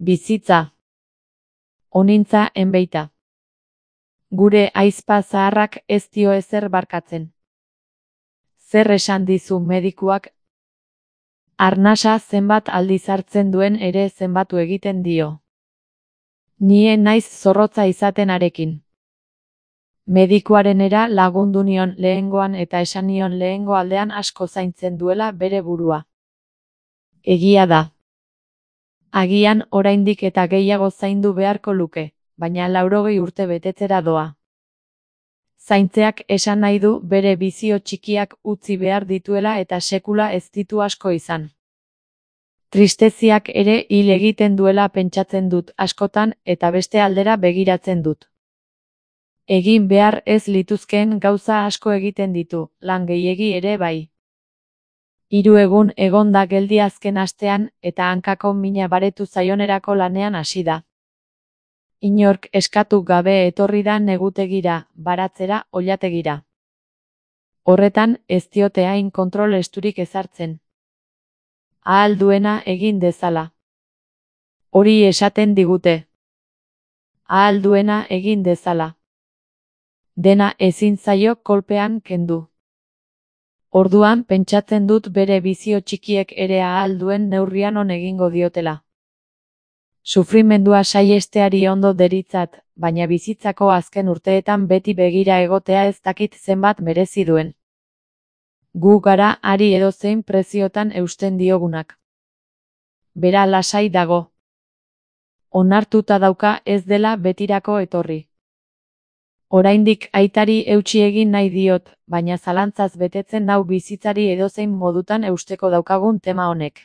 Bizitza. Onintza enbeita. Gure aizpa zaharrak ez dio ezer barkatzen. Zer esan dizu medikuak? Arnasa zenbat aldiz hartzen duen ere zenbatu egiten dio. Nie naiz zorrotza izaten arekin. Medikuarenera lagundu nion lehengoan eta esan nion lehengo aldean asko zaintzen duela bere burua. Egia da. Agian oraindik eta gehiago zaindu beharko luke, baina 80 urte betetzera doa. Zaintzeak esan nahi du bere bizio txikiak utzi behar dituela eta sekula ez ditu asko izan. Tristeziak ere hil egiten duela pentsatzen dut askotan eta beste aldera begiratzen dut. Egin behar ez lituzkeen gauza asko egiten ditu, lan gehiegi ere bai. 3 egun egon da geldi azken astean eta hankako mina baretu zaionerako lanean hasi da. Inork eskatu gabe etorri da negutegira, baratzera, oilategira. Horretan ez diote hain kontrol esturik ezartzen. Ahal duena egin dezala. Hori esaten digute. Ahal duena egin dezala. Dena ezin zaio kolpean kendu. Orduan pentsatzen dut bere bizio txikiek ere ahal duen neurrian on egingo diotela. Sufrimendua saihesteari ondo deritzat, baina bizitzako azken urteetan beti begira egotea ez dakit zenbat merezi duen. Gu gara ari edozein preziotan eusten diogunak. Bera lasai dago. Onartuta dauka ez dela betirako etorri. Oraindik aitari eutsi egin nahi diot, baina zalantzaz betetzen nau bizitzari edozein modutan eusteko daukagun tema honek.